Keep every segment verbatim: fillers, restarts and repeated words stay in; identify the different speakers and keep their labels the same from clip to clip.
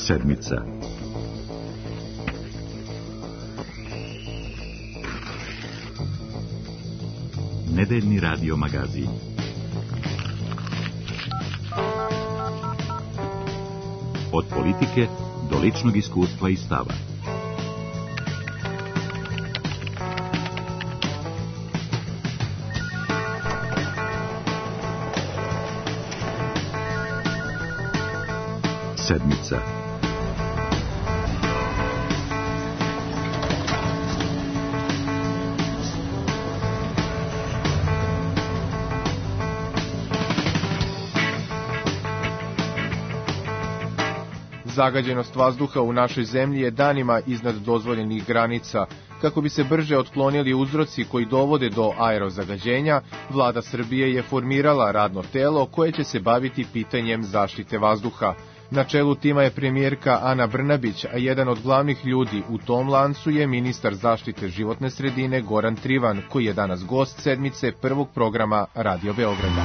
Speaker 1: Sedmica. Nedeljni radio magazin. Od politike do ličnog iskustva i stava. Sedmica.
Speaker 2: Zagađenost vazduha u našoj zemlji je danima iznad dozvoljenih granica. Kako bi se brže otklonili uzroci koji dovode do aerozagađenja, Vlada Srbije je formirala radno telo koje će se baviti pitanjem zaštite vazduha. Na čelu tima je premijerka Ana Brnabić, a jedan od glavnih ljudi u tom lancu je ministar zaštite životne sredine Goran Trivan, koji je danas gost sedmice prvog programa Radio Beograda.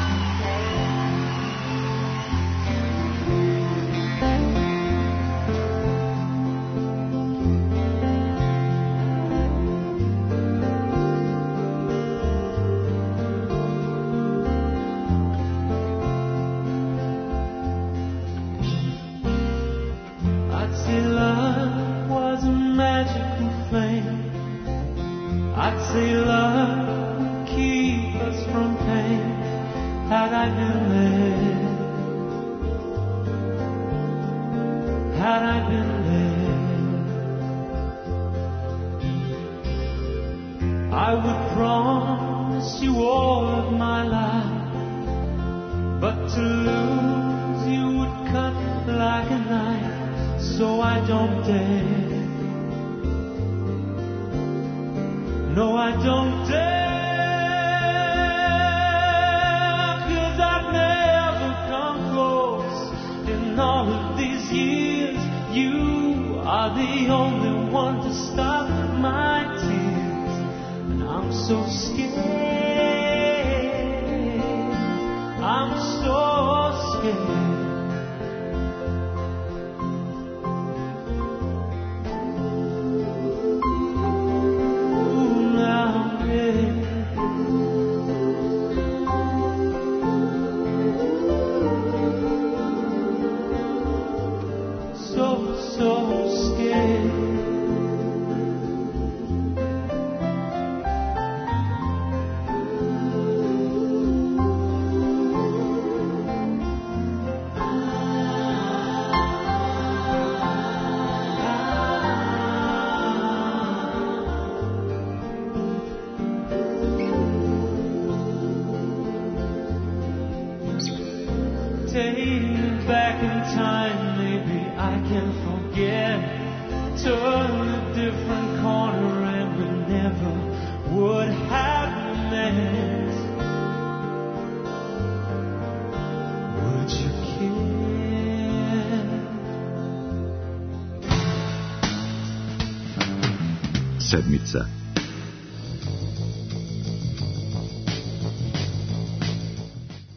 Speaker 2: Sedmica.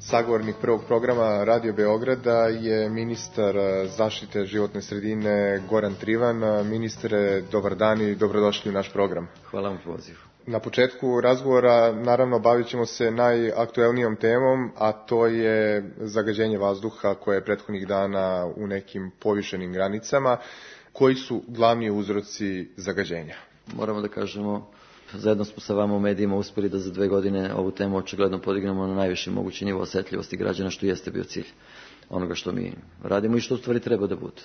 Speaker 2: Sagovornik prvog programa Radio Beograda je ministar zaštite životne sredine Goran Trivan. Ministre, dobar dan i dobrodošli u naš program.
Speaker 3: Hvala vam pozivu.
Speaker 2: Na početku razgovora, naravno, bavit ćemo se najaktuelnijom temom, a to je zagađenje vazduha koje je prethodnih dana u nekim povišenim granicama. Koji su glavni uzroci zagađenja?
Speaker 3: Moramo da kažemo, zajedno smo sa vama u medijima uspeli da za dve godine ovu temu očigledno podignemo na najviši mogući nivo osetljivosti građana, što jeste bio cilj onoga što mi radimo i što u stvari treba da bude.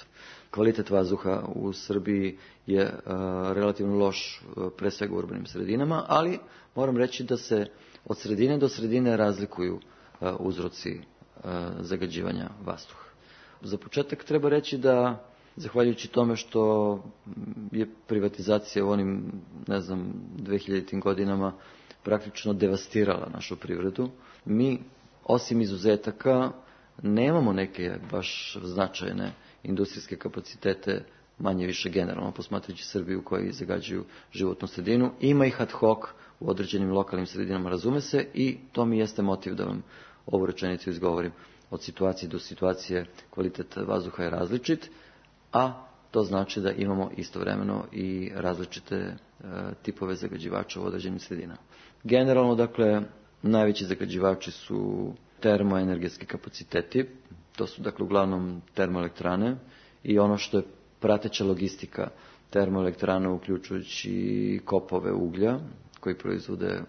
Speaker 3: Kvalitet vazduha u Srbiji je a, relativno loš, a, pre svega u urbanim sredinama, ali moram reći da se od sredine do sredine razlikuju a, uzroci a, zagađivanja vazduha. Za početak treba reći da zahvaljujući tome što je privatizacija u onim, ne znam, dvehiljaditim godinama praktično devastirala našu privredu, mi, osim izuzetaka, nemamo neke baš značajne industrijske kapacitete, manje više generalno, posmatrajući Srbiju koji zagađuju životnu sredinu. Ima ih ad hoc u određenim lokalnim sredinama, razume se, i to mi jeste motiv da vam ovu rečenicu izgovorim. Od situacije do situacije kvalitet vazduha je različit. a to znači da imamo istovremeno i različite e, tipove zagađivača u određenim sredinama. Generalno, dakle, najveći zagađivači su termoenergetski kapaciteti, to su dakle uglavnom termoelektrane i ono što je prateća logistika termoelektrane, uključujući kopove uglja koji proizvode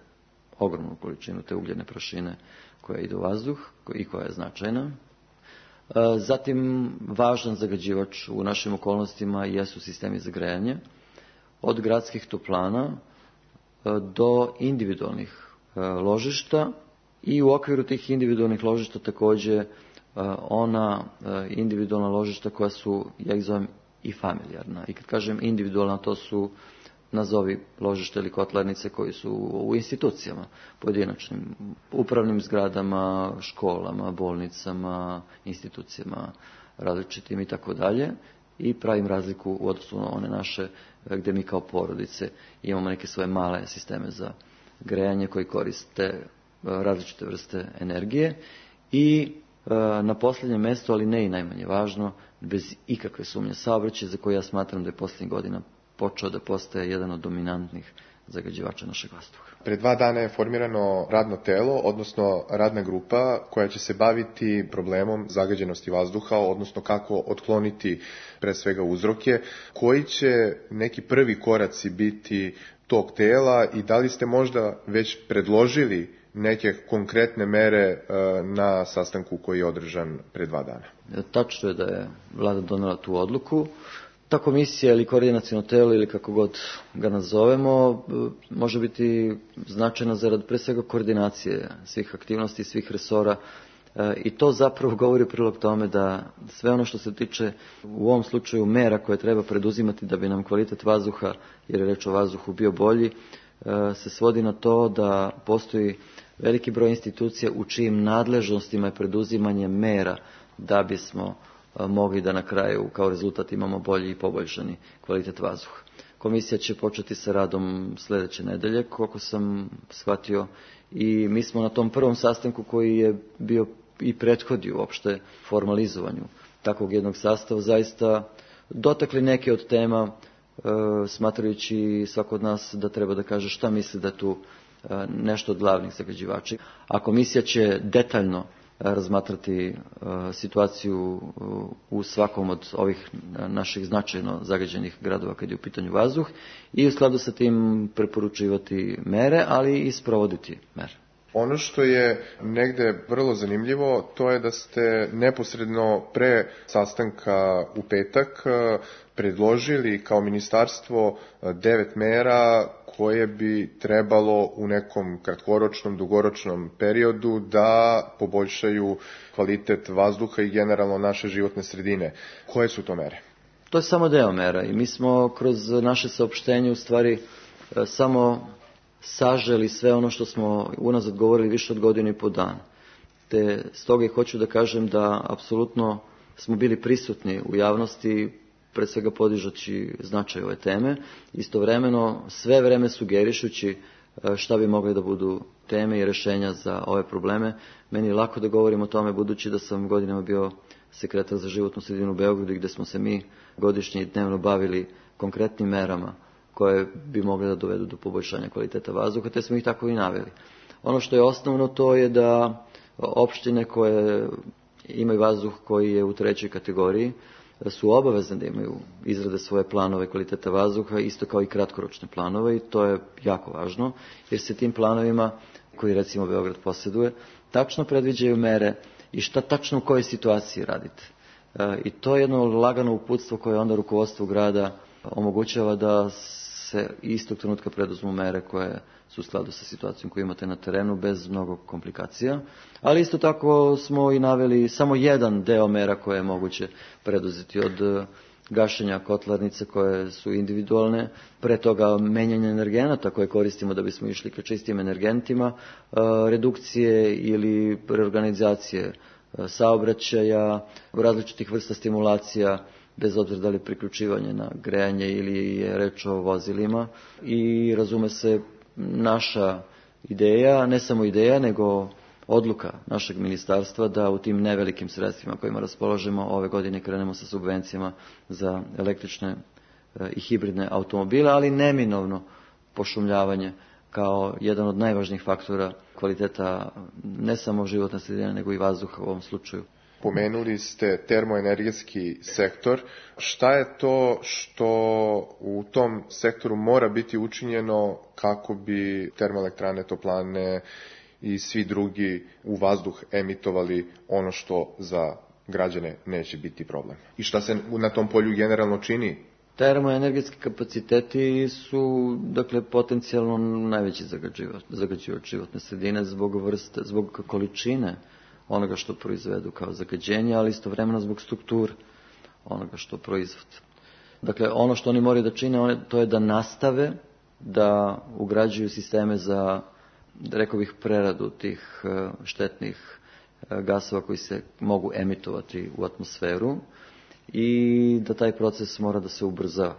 Speaker 3: ogromnu količinu te ugljene prašine koja ide u vazduh i koja je značajna. Zatim, važan zagađivač u našim okolnostima jesu sistemi za grejanje, od gradskih toplana do individualnih ložišta i u okviru tih individualnih ložišta također ona individualna ložišta koja su, ja ih zovem, i familijarna. I kad kažem individualna, to su, nazovi, ložište ili kotlarnice koji su u institucijama, pojedinačnim, upravnim zgradama, školama, bolnicama, institucijama različitim i tako dalje. I pravim razliku u odnosu na one naše gdje mi kao porodice imamo neke svoje male sisteme za grejanje koji koriste različite vrste energije. I na posljednjem mjestu, ali ne i najmanje važno, bez ikakve sumnje, saobraćaj, za koji ja smatram da je posljednjih godina počeo da postaje jedan od dominantnih zagađivača našeg vazduha.
Speaker 2: Pre dva dana je formirano radno telo, odnosno radna grupa koja će se baviti problemom zagađenosti vazduha, odnosno kako otkloniti pre svega uzroke. Koji će neki prvi koraci biti tog tela i da li ste možda već predložili neke konkretne mere na sastanku koji je održan pre dva dana?
Speaker 3: Tačno je da je vlada donela tu odluku. Ta komisija ili koordinaciono telo ili kako god ga nazovemo može biti značajna zarad pre svega koordinacije svih aktivnosti, svih resora i to zapravo govori u prilog tome da sve ono što se tiče u ovom slučaju mera koje treba preduzimati da bi nam kvalitet vazduha, jer je reč o vazduhu, bio bolji, se svodi na to da postoji veliki broj institucija u čijim nadležnostima je preduzimanje mera da bismo mogli da na kraju kao rezultat imamo bolji i poboljšani kvalitet vazduha. Komisija će početi sa radom sljedeće nedelje, koliko sam shvatio, i mi smo na tom prvom sastanku koji je bio i prethodio uopšte formalizovanju takvog jednog sastava zaista dotakli neke od tema, e, smatrajući svako od nas da treba da kaže šta misli da je tu e, nešto od glavnih zagađivača. A komisija će detaljno razmatrati uh, situaciju uh, u svakom od ovih naših značajno zagađenih gradova kad je u pitanju vazduh i u skladu sa tim preporučivati mere, ali i sprovoditi mere.
Speaker 2: Ono što je negde vrlo zanimljivo, to je da ste neposredno pre sastanka u petak predložili kao ministarstvo devet mera koje bi trebalo u nekom kratkoročnom, dugoročnom periodu da poboljšaju kvalitet vazduha i generalno naše životne sredine. Koje su to mere?
Speaker 3: To je samo deo mera i mi smo kroz naše saopštenje u stvari samo saželi sve ono što smo unazad govorili više od godine i po dana. Te stoga i hoću da kažem da apsolutno smo bili prisutni u javnosti, pre svega podižući značaj ove teme, istovremeno sve vreme sugerišući šta bi mogle da budu teme i rješenja za ove probleme. Meni je lako da govorim o tome budući da sam godinama bio sekretar za životnu sredinu u Beogradu gdje smo se mi godišnje i dnevno bavili konkretnim merama koje bi mogle da dovedu do poboljšanja kvaliteta vazduha, te smo ih tako i naveli. Ono što je osnovno to je da opštine koje imaju vazduh koji je u trećoj kategoriji su obavezne da imaju izrade svoje planove kvaliteta vazduha, isto kao i kratkoročne planove, i to je jako važno, jer se tim planovima, koji recimo Beograd posjeduje, tačno predviđaju mere i šta tačno u kojoj situaciji radite. E, I to je jedno lagano uputstvo koje onda rukovodstvo grada omogućava da se istog trenutka preduzmu mere koje su u skladu sa situacijom koju imate na terenu bez mnogo komplikacija. Ali isto tako smo i naveli samo jedan deo mera koje je moguće preduzeti, od gašenja kotlarnice koje su individualne, pre toga menjanja energenata koje koristimo da bismo išli ka čistim energentima, redukcije ili reorganizacije saobraćaja, različitih vrsta stimulacija, bez obzira da li je priključivanje na grejanje ili je reč o vozilima. I razume se naša ideja, ne samo ideja, nego odluka našeg ministarstva da u tim nevelikim sredstvima kojima raspolažemo ove godine krenemo sa subvencijama za električne i hibridne automobile, ali neminovno pošumljavanje kao jedan od najvažnijih faktora kvaliteta ne samo životne sredine, nego i vazduha u ovom slučaju.
Speaker 2: Pomenuli ste termoenergetski sektor. Šta je to što u tom sektoru mora biti učinjeno kako bi termoelektrane, toplane i svi drugi u vazduh emitovali ono što za građane neće biti problem? I šta se na tom polju generalno čini?
Speaker 3: Termoenergetski kapaciteti su, dakle, potencijalno najveći zagađivač životne sredine zbog vrste, zbog količine onoga što proizvedu kao zagađenje, ali istovremeno zbog strukture onoga što proizvode. Dakle, ono što oni moraju da čine, to je da nastave da ugrađuju sisteme za, rekao bih, preradu tih štetnih gasova koji se mogu emitovati u atmosferu i da taj proces mora da se ubrza.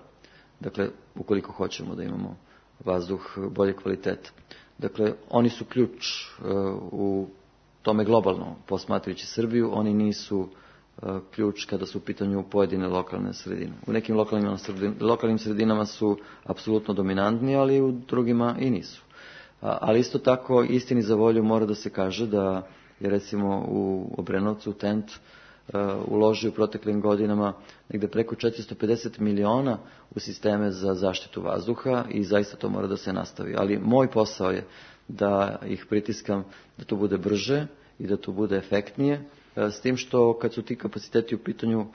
Speaker 3: Dakle, ukoliko hoćemo da imamo vazduh bolje kvaliteta. Dakle, oni su ključ u tome globalno, posmatrajući Srbiju, oni nisu ključ kada su u pitanju pojedine lokalne sredine. U nekim lokalnim, lokalnim sredinama su apsolutno dominantni, ali u drugima i nisu. Ali isto tako, istini za volju mora da se kaže da je recimo u Obrenovcu T E N T uložio u proteklim godinama negde preko četiristo pedeset miliona u sisteme za zaštitu vazduha i zaista to mora da se nastavi. Ali moj posao je da ih pritiskam da to bude brže i da to bude efektnije, s tim što kad su ti kapaciteti u pitanju,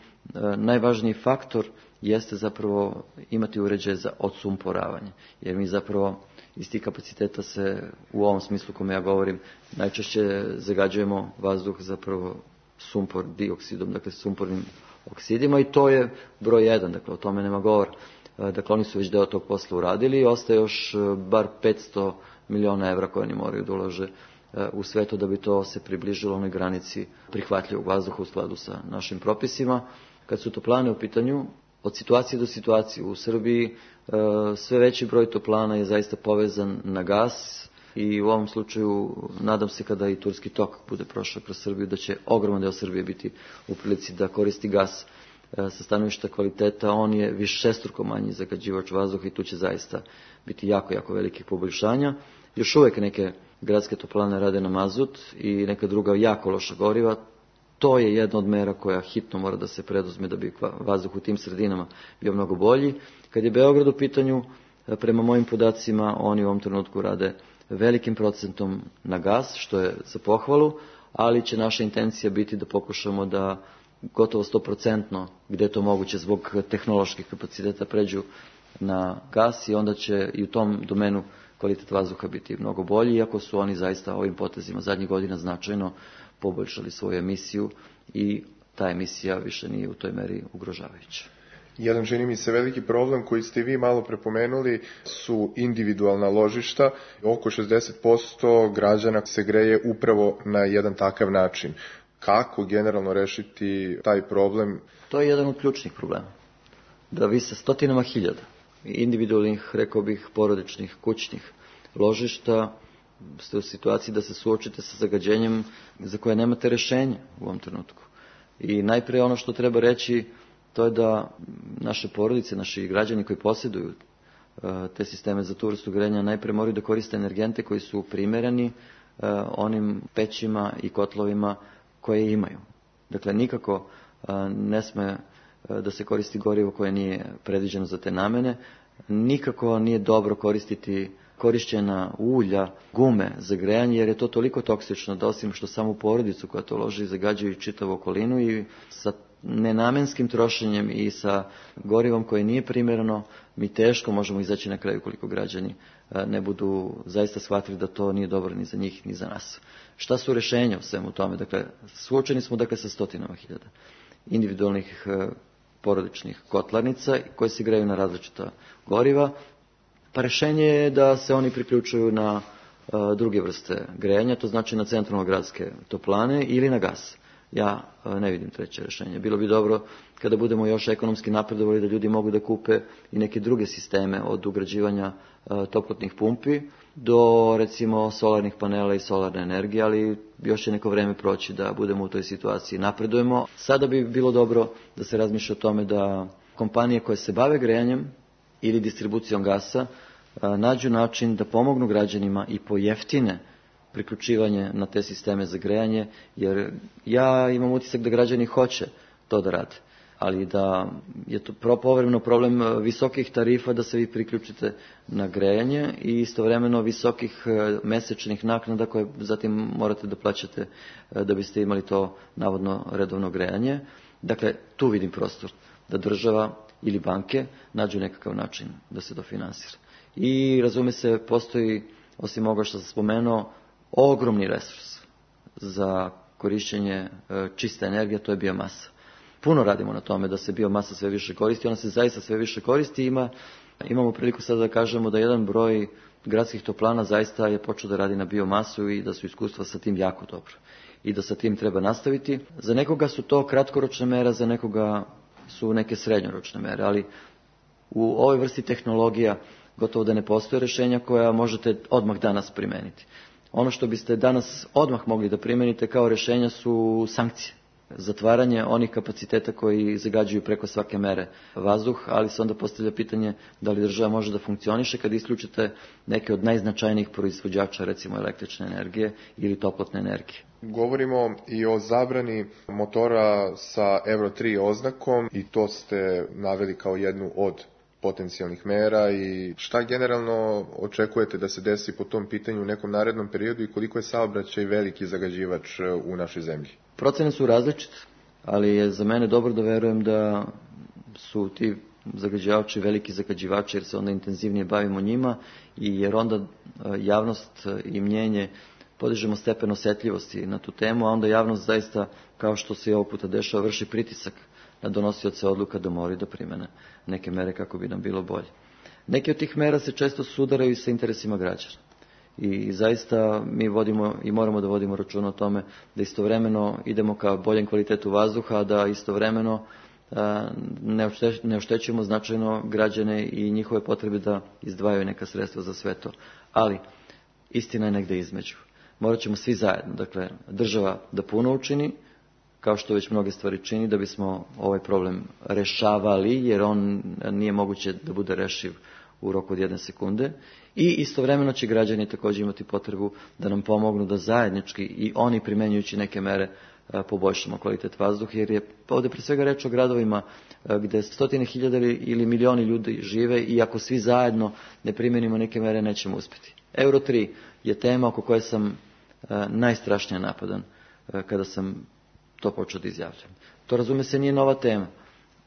Speaker 3: najvažniji faktor jeste zapravo imati uređaje za odsumporavanje, jer mi zapravo iz tih kapaciteta se u ovom smislu kome ja govorim najčešće zagađujemo vazduh zapravo sumpor dioksidom, dakle sumpornim oksidima, i to je broj jedan, dakle o tome nema govora. Dakle, oni su već deo tog posla uradili i ostaje još bar petsto miliona evra koje oni moraju da ulože u sve to da bi to se približilo onoj granici prihvatljivog vazduha u skladu sa našim propisima. Kad su toplane u pitanju, od situacije do situacije u Srbiji sve veći broj toplana je zaista povezan na gas i u ovom slučaju nadam se kada i Turski tok bude prošao kroz Srbiju da će ogroman deo Srbije biti u prilici da koristi gas sa stanovišta kvaliteta. On je višestruko manji zagađivač vazduha i tu će zaista biti jako, jako velikih poboljšanja. Još uvek neke gradske toplane rade na mazut i neka druga jako loša goriva. To je jedna od mera koja hitno mora da se preduzme da bi vazduh u tim sredinama bio mnogo bolji. Kad je Beograd u pitanju, prema mojim podacima, oni u ovom trenutku rade velikim procentom na gas, što je za pohvalu, ali će naša intencija biti da pokušamo da gotovo sto posto gde je to moguće zbog tehnoloških kapaciteta pređu na gas i onda će i u tom domenu kvalitet vazduha biti mnogo bolji, iako su oni zaista ovim potezima zadnjih godina značajno poboljšali svoju emisiju i ta emisija više nije u toj meri ugrožavajuća.
Speaker 2: Jedan, čini mi se, veliki problem koji ste vi malo prepomenuli su individualna ložišta. Oko šezdeset posto građana se greje upravo na jedan takav način. Kako generalno rešiti taj problem?
Speaker 3: To je jedan od ključnih problema. Da vi sa stotinama hiljada individualnih, rekao bih, porodičnih, kućnih ložišta ste u situaciji da se suočite sa zagađenjem za koje nemate rešenje u ovom trenutku. I najprije ono što treba reći, to je da naše porodice, naši građani koji posjeduju te sisteme za tu vrstu grejanja najprije moraju da koriste energente koji su primereni onim pećima i kotlovima koje imaju. Dakle, nikako ne sme da se koristi gorivo koje nije predviđeno za te namene, nikako nije dobro koristiti korišćena ulja, gume za grejanje, jer je to toliko toksično da osim što samu porodicu koja to loži zagađuju čitavu okolinu i sa nenamenskim trošenjem i sa gorivom koje nije primjereno mi teško možemo izaći na kraju koliko građani ne budu zaista shvatili da to nije dobro ni za njih ni za nas. Šta su rešenja u svemu tome? Dakle, suočeni smo dakle sa stotinama hiljada individualnih porodičnih kotlarnica koje se greju na različita goriva. Pa rešenje je da se oni priključuju na druge vrste grejanja, to znači na centralno-gradske toplane ili na gas. Ja ne vidim treće rešenje. Bilo bi dobro kada budemo još ekonomski napredovali da ljudi mogu da kupe i neke druge sisteme od ugrađivanja toplotnih pumpi do recimo solarnih panela i solarne energije, ali još će neko vreme proći da budemo u toj situaciji. Napredujemo. Sada bi bilo dobro da se razmišlja o tome da kompanije koje se bave grejanjem ili distribucijom gasa nađu način da pomognu građanima i pojeftine priključivanje na te sisteme za grejanje, jer ja imam utisak da građani hoće to da rade, ali da je to povremeno problem visokih tarifa da se vi priključite na grejanje i istovremeno visokih mesečnih naknada koje zatim morate da plaćate da biste imali to navodno redovno grejanje. Dakle, tu vidim prostor da država ili banke nađu nekakav način da se to finansira. I razume se, postoji, osim ovoga što sam spomenuo, ogromni resurs za korišćenje čiste energije, to je biomasa. Puno radimo na tome da se biomasa sve više koristi, ona se zaista sve više koristi. Ima, imamo priliku sada da kažemo da jedan broj gradskih toplana zaista je počeo da radi na biomasu i da su iskustva sa tim jako dobro. I da sa tim treba nastaviti. Za nekoga su to kratkoročne mere, za nekoga su neke srednjoročne mere, ali u ovoj vrsti tehnologija gotovo da ne postoje rješenja koja možete odmah danas primeniti. Ono što biste danas odmah mogli da primenite kao rješenja su sankcije. Zatvaranje onih kapaciteta koji zagađuju preko svake mere vazduh, ali se onda postavlja pitanje da li država može da funkcioniše kad isključite neke od najznačajnijih proizvođača, recimo električne energije ili toplotne energije.
Speaker 2: Govorimo i o zabrani motora sa Euro tri oznakom i to ste naveli kao jednu od potencijalnih mera i šta generalno očekujete da se desi po tom pitanju u nekom narednom periodu i koliko je saobraćaj veliki zagađivač u našoj zemlji?
Speaker 3: Procene su različite, ali je za mene dobro da verujem da su ti zagađivači veliki zagađivači jer se onda intenzivnije bavimo njima i jer onda javnost i mnjenje podižemo stepen osjetljivosti na tu temu, a onda javnost zaista, kao što se i ovog puta dešava, vrši pritisak na donosioce odluka da moraju da primene neke mere kako bi nam bilo bolje. Neke od tih mera se često sudaraju sa interesima građana. I zaista mi vodimo i moramo da vodimo računa o tome da istovremeno idemo ka boljem kvalitetu vazduha, da istovremeno ne oštećujemo značajno građane i njihove potrebe da izdvajaju neka sredstva za sve to. Ali istina je negde između. Morat ćemo svi zajedno, dakle država da puno učini, kao što već mnoge stvari čini, da bismo ovaj problem rešavali, jer on nije moguće da bude rešiv u roku od jedne sekunde. I istovremeno će građani također imati potrebu da nam pomognu da zajednički i oni primenjujući neke mere poboljšamo kvalitet vazduha, jer je ovdje pre svega reč o gradovima gdje stotine hiljada ili milioni ljudi žive i ako svi zajedno ne primenimo neke mere nećemo uspjeti. Euro tri je tema oko koje sam najstrašnije napadan kada sam to počeo da izjavljam. To, razume se, nije nova tema.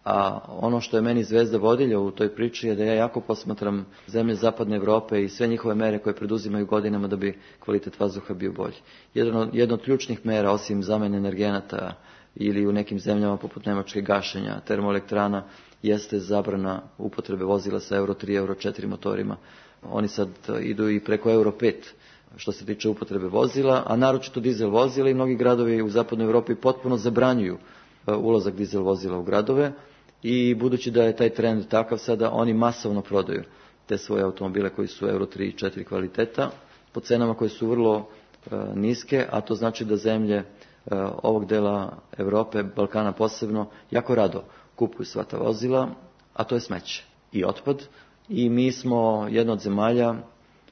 Speaker 3: A ono što je meni zvezda vodilja u toj priči je da ja jako posmatram zemlje zapadne Evrope i sve njihove mere koje preduzimaju godinama da bi kvalitet vazduha bio bolji. Jedno, jedno od ključnih mera, osim zamene energenata ili u nekim zemljama poput Nemačke gašenja termoelektrana, jeste zabrana upotrebe vozila sa Euro tri, Euro četiri motorima. Oni sad idu i preko Euro pet što se tiče upotrebe vozila, a naročito dizel vozila i mnogi gradovi u zapadnoj Evropi potpuno zabranjuju ulazak dizel vozila u gradove i budući da je taj trend takav sada, oni masovno prodaju te svoje automobile koji su Euro tri i četiri kvaliteta po cenama koje su vrlo e, niske, a to znači da zemlje e, ovog dela Evrope, Balkana posebno, jako rado kupuju sva ta vozila, a to je smeće i otpad. I mi smo jedna od zemalja,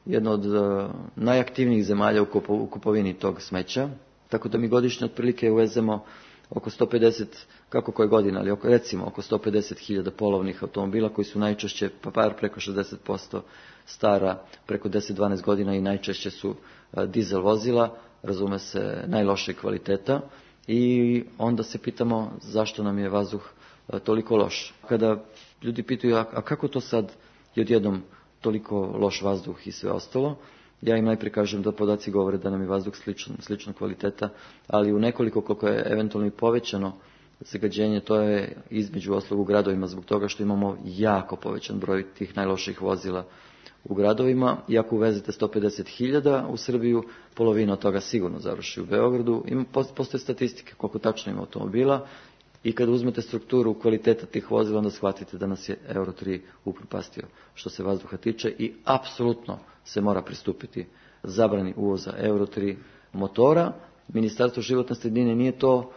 Speaker 3: jedna od e, najaktivnijih zemalja u, kupo, u kupovini tog smeća, tako da mi godišnje otprilike uvezemo oko sto pedeset, kako koje godine, ali oko, recimo oko sto pedeset hiljada polovnih automobila koji su najčešće, pa par preko šezdeset posto stara, preko deset do dvanaest godina i najčešće su a, dizel vozila, razume se, najlošije kvaliteta i onda se pitamo zašto nam je vazduh a, toliko loš. Kada ljudi pitaju, a, a kako to sad je odjednom toliko loš vazduh i sve ostalo, ja im najprije kažem da podaci govore da nam je vazduh sličan, slična kvaliteta, ali u nekoliko koliko je eventualno i povećano zagađenje, to je između ostalog u gradovima zbog toga što imamo jako povećan broj tih najloših vozila u gradovima. I ako uvezete sto pedeset hiljada u Srbiju, polovina od toga sigurno završi u Beogradu. Ima, postoje statistike koliko tačno ima automobila I kad uzmete strukturu kvaliteta tih vozila, onda shvatite da nas je Euro tri upropastio što se vazduha tiče i apsolutno se mora pristupiti zabrani uvoza Euro tri motora. Ministarstvo životne sredine nije to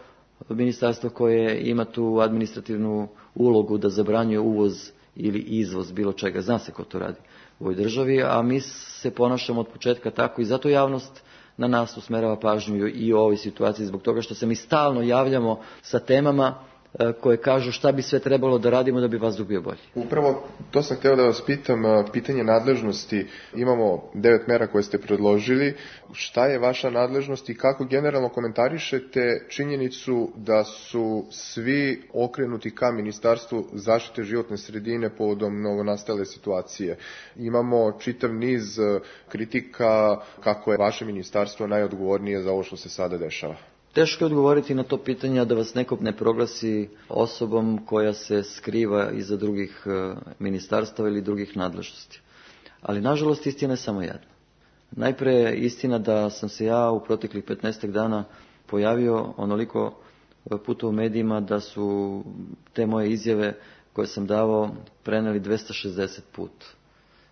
Speaker 3: ministarstvo koje ima tu administrativnu ulogu da zabranjuje uvoz ili izvoz bilo čega. Zna se ko to radi u ovoj državi, a mi se ponašamo od početka tako i zato javnost na nas usmerava pažnju i u ovoj situaciji zbog toga što se mi stalno javljamo sa temama koje kažu šta bi sve trebalo da radimo da bi vazduh bio bolji.
Speaker 2: Upravo to sam hteo da vas pitam, pitanje nadležnosti. Imamo devet mera koje ste predložili. Šta je vaša nadležnost i kako generalno komentarišete činjenicu da su svi okrenuti ka Ministarstvu zaštite životne sredine povodom novonastale situacije? Imamo čitav niz kritika kako je vaše ministarstvo najodgovornije za ovo što se sada dešava.
Speaker 3: Teško je odgovoriti na to pitanje da vas neko ne proglasi osobom koja se skriva iza drugih ministarstava ili drugih nadležnosti. Ali nažalost istina je samo jedna. Najpre istina da sam se ja u proteklih petnaestak dana pojavio onoliko puta u medijima da su te moje izjave koje sam davao preneli dvesta šezdeset puta.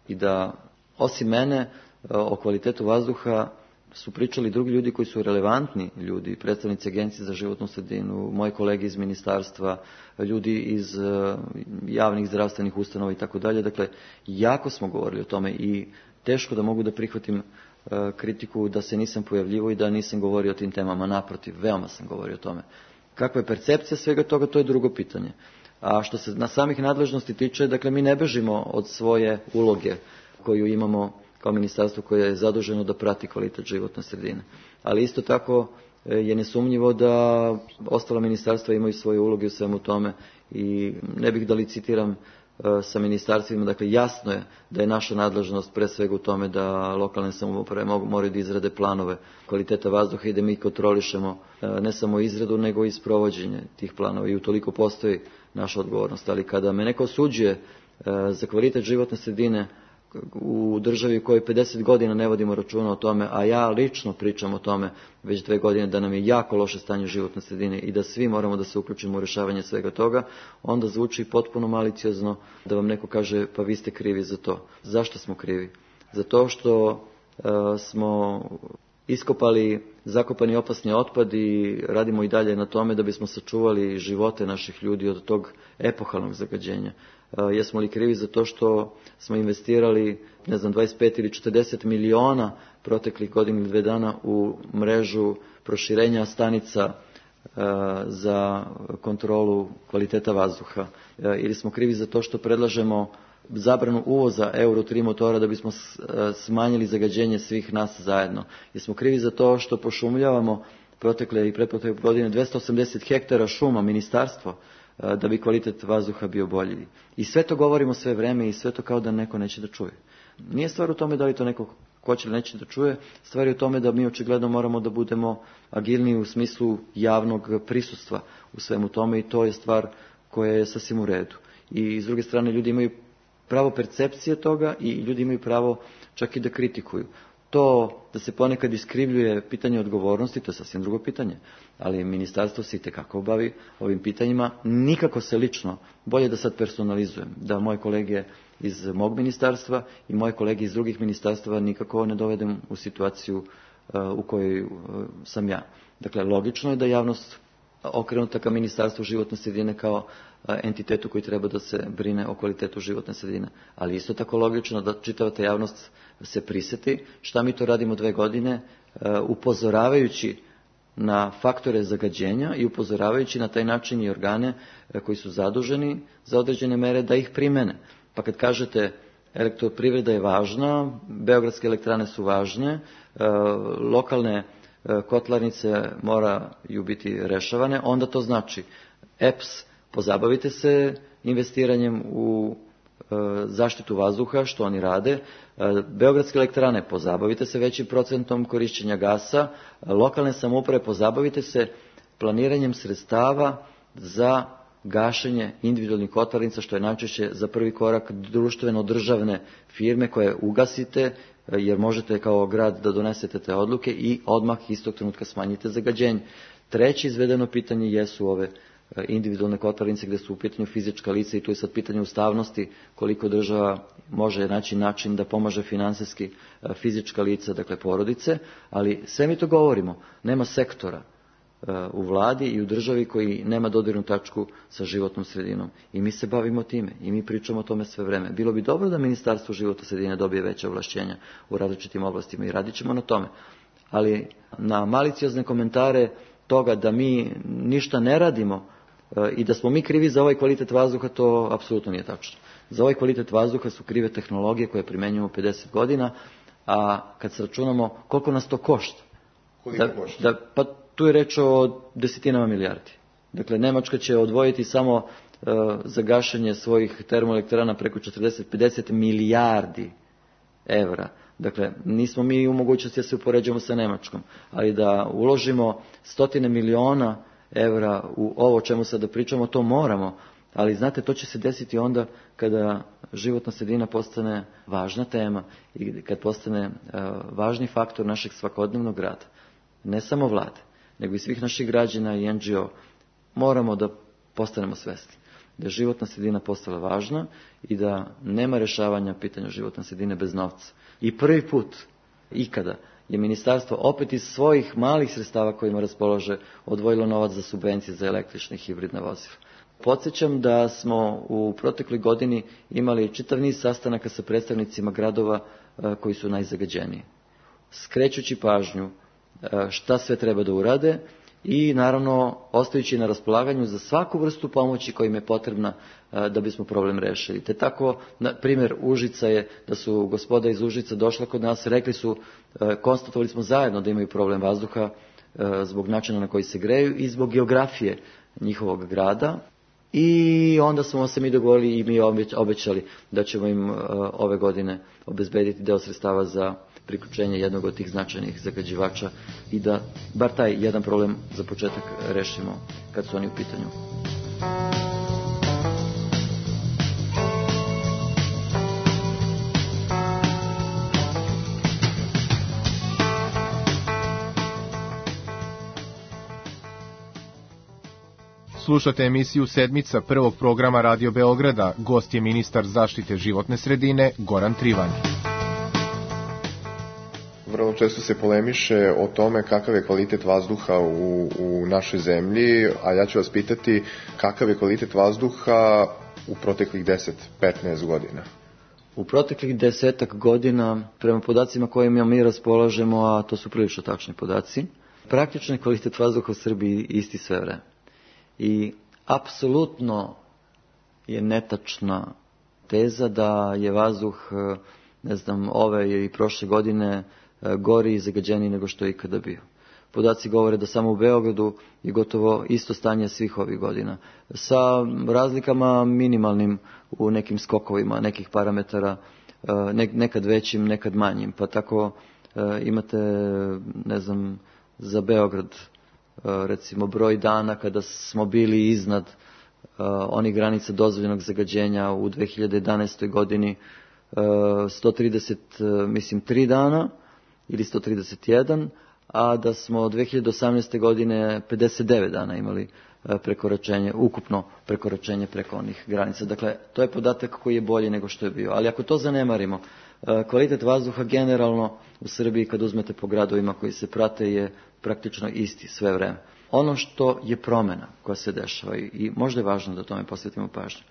Speaker 3: I da osim mene o kvalitetu vazduha su pričali drugi ljudi koji su relevantni ljudi, predstavnici Agencije za životnu sredinu, moji kolege iz ministarstva, ljudi iz javnih zdravstvenih ustanova i tako dalje. Dakle, jako smo govorili o tome i teško da mogu da prihvatim kritiku da se nisam pojavljivo i da nisam govorio o tim temama. Naprotiv, veoma sam govorio o tome. Kakva je percepcija svega toga, to je drugo pitanje. A što se na samih nadležnosti tiče, dakle, mi ne bežimo od svoje uloge koju imamo kao ministarstvo koje je zaduženo da prati kvalitet životne sredine. Ali isto tako je nesumnjivo da ostala ministarstva imaju svoje uloge u svemu tome i ne bih da licitiram sa ministarstvima. Dakle, jasno je da je naša nadležnost pre svega u tome da lokalne samouprave moraju da izrade planove kvaliteta vazduha i da mi kontrolišemo ne samo izradu nego i sprovođenje tih planova i utoliko postoji naša odgovornost. Ali kada me neko osuđuje za kvalitet životne sredine u državi u kojoj pedeset godina ne vodimo računa o tome, a ja lično pričam o tome već dve godine da nam je jako loše stanje životne sredine i da svi moramo da se uključimo u rješavanje svega toga, onda zvuči potpuno maliciozno da vam neko kaže pa vi ste krivi za to. Zašto smo krivi? Zato što uh, smo iskopali zakopani opasni otpad i radimo i dalje na tome da bismo sačuvali živote naših ljudi od tog epohalnog zagađenja. Uh, jesmo li krivi za to što smo investirali, ne znam, dvadeset pet ili četrdeset miliona proteklih godina ili dve dana u mrežu proširenja stanica uh, za kontrolu kvaliteta vazduha? Uh, ili smo krivi za to što predlažemo zabranu uvoza Euro tri motora da bismo smanjili zagađenje svih nas zajedno? Jer smo krivi za to što pošumljavamo protekle i pretprotekle godine dvesta osamdeset hektara šuma ministarstvo da bi kvalitet vazduha bio bolji. I sve to govorimo sve vreme i sve to kao da neko neće da čuje. Nije stvar u tome da li to neko hoće ili neće da čuje, stvar je u tome da mi očigledno moramo da budemo agilniji u smislu javnog prisustva u svemu tome i to je stvar koja je sasvim u redu. I s druge strane ljudi imaju pravo percepcije toga i ljudi imaju pravo čak i da kritikuju. To da se ponekad iskrivljuje pitanje odgovornosti, to je sasvim drugo pitanje, ali ministarstvo se itekako bavi ovim pitanjima. Nikako se lično, bolje da sad personalizujem, da moje kolege iz mog ministarstva i moje kolege iz drugih ministarstva nikako ne dovedem u situaciju uh, u kojoj uh, sam ja. Dakle, logično je da javnost okrenuta ka Ministarstvu životne sredine kao entitetu koji treba da se brine o kvalitetu životne sredine. Ali isto tako logično da čitava ta javnost se priseti šta mi to radimo dve godine upozoravajući na faktore zagađenja i upozoravajući na taj način i organe koji su zaduženi za određene mere da ih primene. Pa kad kažete elektroprivreda je važna, beogradske elektrane su važne, lokalne kotlarnice moraju biti rešavane, onda to znači E P S, pozabavite se investiranjem u e, zaštitu vazduha, što oni rade, e, beogradske elektrane, pozabavite se većim procentom korišćenja gasa, e, lokalne samouprave, pozabavite se planiranjem sredstava za gašenje individualnih kotlarnica, što je najčešće za prvi korak društveno-državne firme koje ugasite, jer možete kao grad da donesete te odluke i odmah istog trenutka smanjite zagađenje. Treće izvedeno pitanje jesu ove individualne kotlarnice gdje su u pitanju fizička lica i tu je sad pitanje ustavnosti koliko država može naći način da pomaže finansijski fizička lica, dakle porodice, ali sve mi to govorimo, nema sektora u vladi i u državi koji nema dodirnu tačku sa životnom sredinom. I mi se bavimo time i mi pričamo o tome sve vreme. Bilo bi dobro da Ministarstvo životne sredine dobije veće ovlašćenja u različitim oblastima i radit ćemo na tome. Ali na maliciozne komentare toga da mi ništa ne radimo i da smo mi krivi za ovaj kvalitet vazduha, to apsolutno nije tačno. Za ovaj kvalitet vazduha su krive tehnologije koje primjenjujemo pedeset godina, a kad se računamo koliko nas to košta.
Speaker 2: Koliko
Speaker 3: da,
Speaker 2: košta?
Speaker 3: Da, pa tu je reč o desetinama milijardi. Dakle, Nemačka će odvojiti samo uh, za gašenje svojih termoelektrana preko četrdeset do pedeset milijardi evra. Dakle, nismo mi u mogućnosti da se upoređujemo sa Nemačkom, ali da uložimo stotine miliona evra u ovo o čemu sada pričamo, to moramo. Ali znate, to će se desiti onda kada životna sredina postane važna tema i kad postane uh, važni faktor našeg svakodnevnog rada. Ne samo vlade, nego i svih naših građana i en dži o. Moramo da postanemo svesni da je životna sredina postala važna i da nema rješavanja pitanja životne sredine bez novca. I prvi put ikada je ministarstvo opet iz svojih malih sredstava kojima raspolaže odvojilo novac za subvencije za električne i hibridne vozila. Podsjećam da smo u protekloj godini imali čitav niz sastanaka sa predstavnicima gradova koji su najzagađeniji, skrećući pažnju šta sve treba da urade i naravno ostajući na raspolaganju za svaku vrstu pomoći koja im je potrebna da bismo problem rešili. Te tako, na primjer Užica je da su gospoda iz Užica došla kod nas, rekli su, konstatovali smo zajedno da imaju problem vazduha zbog načina na koji se greju i zbog geografije njihovog grada. I onda smo se mi dogovorili i mi obećali da ćemo im ove godine obezbediti deo sredstava za priključenje jednog od tih značajnih zagađivača i da bar taj jedan problem za početak rešimo kad su oni u pitanju.
Speaker 2: Slušate emisiju Sedmica prvog programa Radio Beograda. Gost je ministar zaštite životne sredine Goran Trivan. Vrlo često se polemiše o tome kakav je kvalitet vazduha u, u našoj zemlji, a ja ću vas pitati kakav je kvalitet vazduha u proteklih deset do petnaest godina.
Speaker 3: U proteklih desetak godina, prema podacima kojima mi raspolažemo, a to su prilično tačni podaci, praktično je kvalitet vazduha u Srbiji isti sve vreme. I apsolutno je netačna teza da je vazduh, ne znam, ove i prošle godine gori i zagađeniji nego što je ikada bio. Podaci govore da samo u Beogradu je gotovo isto stanje svih ovih godina, sa razlikama minimalnim u nekim skokovima, nekih parametara, nekad većim, nekad manjim. Pa tako imate, ne znam, za Beograd, recimo broj dana kada smo bili iznad uh, onih granica dozvoljenog zagađenja u dve hiljade jedanaestoj godini uh, sto trideset, uh, mislim, tri dana ili sto trideset jedan, a da smo dve hiljade osamnaeste godine pedeset devet dana imali uh, prekoračenje, ukupno prekoračenje preko onih granica. Dakle, to je podatak koji je bolji nego što je bio. Ali ako to zanemarimo, uh, kvalitet vazduha generalno u Srbiji, kad uzmete po gradovima koji se prate, je praktično isti sve vreme. Ono što je promjena koja se dešava i možda je važno da tome posvetimo pažnju.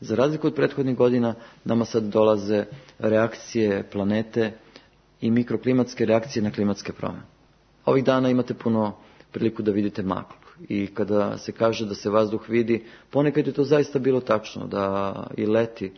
Speaker 3: Za razliku od prethodnih godina, nama sad dolaze reakcije planete i mikroklimatske reakcije na klimatske promjene. Ovih dana imate puno priliku da vidite maglu i kada se kaže da se vazduh vidi, ponekad je to zaista bilo tačno, da i leti.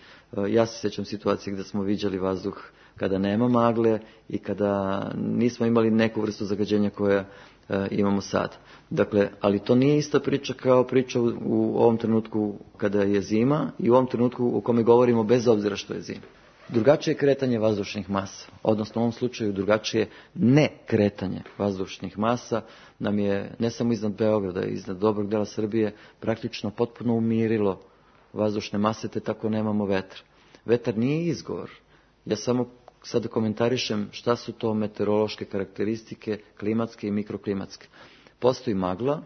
Speaker 3: Ja se sjećam situacije gdje smo viđali vazduh kada nema magle i kada nismo imali neku vrstu zagađenja koja e, imamo sad. Dakle, ali to nije ista priča kao priča u, u ovom trenutku kada je zima i u ovom trenutku u kome govorimo bez obzira što je zima. Drugačije kretanje vazdušnih masa, odnosno u ovom slučaju drugačije ne kretanje vazdušnih masa nam je ne samo iznad Beograda, iznad dobrog dela Srbije praktično potpuno umirilo vazdušne mase, te tako nemamo vetra. Vetar nije izgovor. Ja samo sada komentarišem šta su to meteorološke karakteristike, klimatske i mikroklimatske. Postoji magla